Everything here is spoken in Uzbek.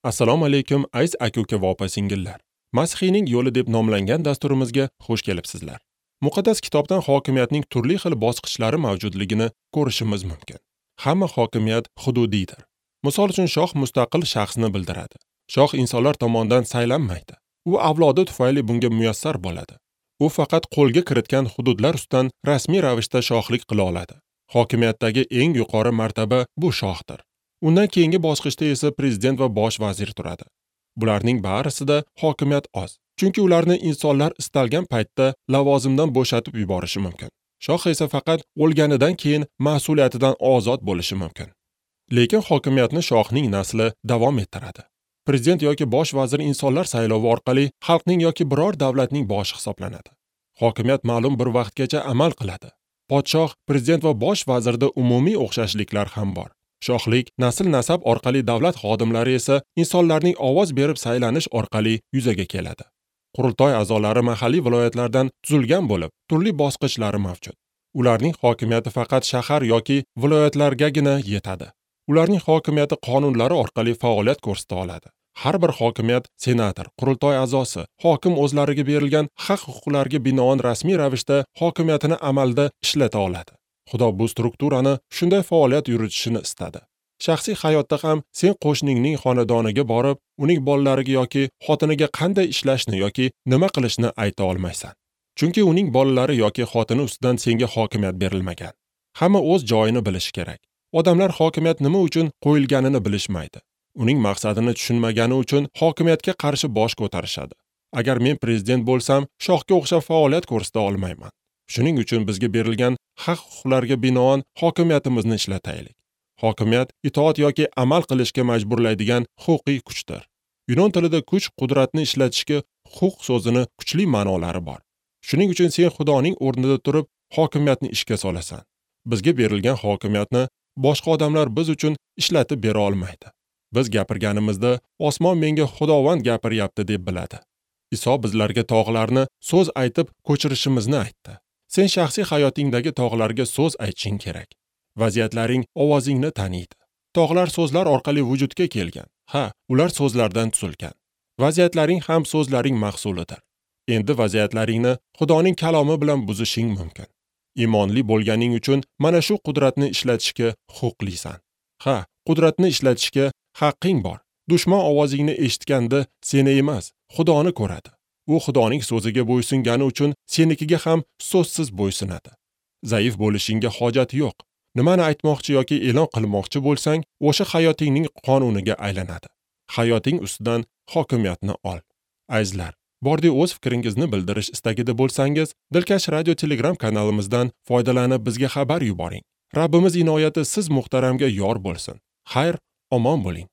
Assalomu alaykum aziz aka-uka va opa-singillar. Masihiyning yo'li deb nomlangan dasturimizga xush kelibsizlar. Muqaddas kitobdan hokimiyatning turli xil bosqichlari mavjudligini ko'rishimiz mumkin. Hamma hokimiyat hududiydir. Misol uchun shoh mustaqil shaxsni bildiradi. Shoh insonlar tomonidan saylanmaydi. U avlodi tufayli bunga muyassar bo'ladi. U faqat qo'lga kiritgan hududlar ustidan rasmiy ravishda shohlik qila oladi. Hokimiyatdagi eng yuqori martaba bu shohdir. Undan keyingi bosqichda esa prezident va bosh vazir turadi. Bularning barisida hokimiyat oz. Chunki ularni insonlar istalgan paytda lavozimdan bo'shatib yuborishi mumkin. Shoh esa faqat o'lganidan keyin mas'uliyatidan ozod bo'lishi mumkin. Lekin hokimiyatni shohning nasli davom ettiradi. Prezident yoki bosh vazir insonlar saylovi orqali xalqning yoki biror davlatning boshi hisoblanadi. Hokimiyat ma'lum bir vaqtgacha amal qiladi. Podshoh, prezident va bosh vazirda umumiy o'xshashliklar ham bor. Shohlik, nasl-nasab orqali davlat xodimlari esa insonlarning ovoz berib saylanish orqali yuzaga keladi. Qurultoy a'zolari mahalliy viloyatlardan tuzilgan bo'lib, turli bosqichlari mavjud. Ularning hokimiyati faqat shahar yoki viloyatlargagina yetadi. Ularning hokimiyati qonunlari orqali faoliyat ko'rsata oladi. Har bir hokimiyat senator, qurultoy a'zosi, hokim o'zlariga berilgan haq-huquqlarga binoan rasmiy ravishda hokimiyatini amalda ishlata oladi. Xudo bu strukturani shunday faoliyat yuritishini istadi. Shaxsiy hayotda ham sen qo'shningning xonadoniga borib, uning bolalariga yoki xotiniga qanday ishlashni yoki nima qilishni ayta olmaysan. Chunki uning bolalari yoki xotini ustidan senga hokimiyat berilmagan. Hamma o'z joyini bilishi kerak. Odamlar hokimiyat nima uchun qo'yilganini bilishmaydi. Uning maqsadini tushunmagani uchun hokimiyatga qarshi bosh ko'tarishadi. Agar men prezident bo'lsam, shohga o'xshab faoliyat ko'rsata olmayman. Shuning uchun bizga berilgan haq-huquqlarga binoan hokimiyatimizni ishlataylik. Hokimiyat itoat yoki amal qilishga majburlaydigan huquqiy kuchdir. Yunon tilida kuch qudratni ishlatishga huquq so'zini kuchli ma'nolari bor. Shuning uchun sen Xudoning o'rnida turib hokimiyatni ishga solasan. Bizga berilgan hokimiyatni boshqa odamlar biz uchun ishlatib bera olmaydi. Biz gapirganimizda osmon menga Xudovand gapiryapti deb biladi. Iso bizlarga tog'larni so'z aytib ko'chirishimizni aytdi. Sen shaxsiy hayotingdagi tog'larga so'z aytishing kerak. Vaziyatlaring ovozingni taniydi. Tog'lar so'zlar orqali vujudga kelgan. Ha, ular so'zlardan tuzilgan. Vaziyatlaring ham so'zlaring mahsulidir. Endi vaziyatlaringni Xudoning kalomi bilan buzishing mumkin. Iymonli bo'lganing uchun mana shu qudratni ishlatishga huquqlisan. Ha, qudratni ishlatishga haqqing bor. Dushman ovozingni eshitganda seni emas, Xudoni ko'radi. U Xudoning so'ziga bo'ysungani uchun senikiga ham so'zsiz bo'ysunadi. Zaif bo'lishingga hojat yo'q. Nimani aytmoqchi yoki e'lon qilmoqchi bo'lsang, o'sha hayotingning qonuniga aylanadi. Hayoting ustidan hokimiyatni ol. Azizlar, bordi o'z fikringizni bildirish istagida bo'lsangiz, Dilkash radio Telegram kanalimizdan foydalanib bizga xabar yuboring. Rabbimiz inoyati siz muhtaramga yor bo'lsin. Xayr, omon bo'ling.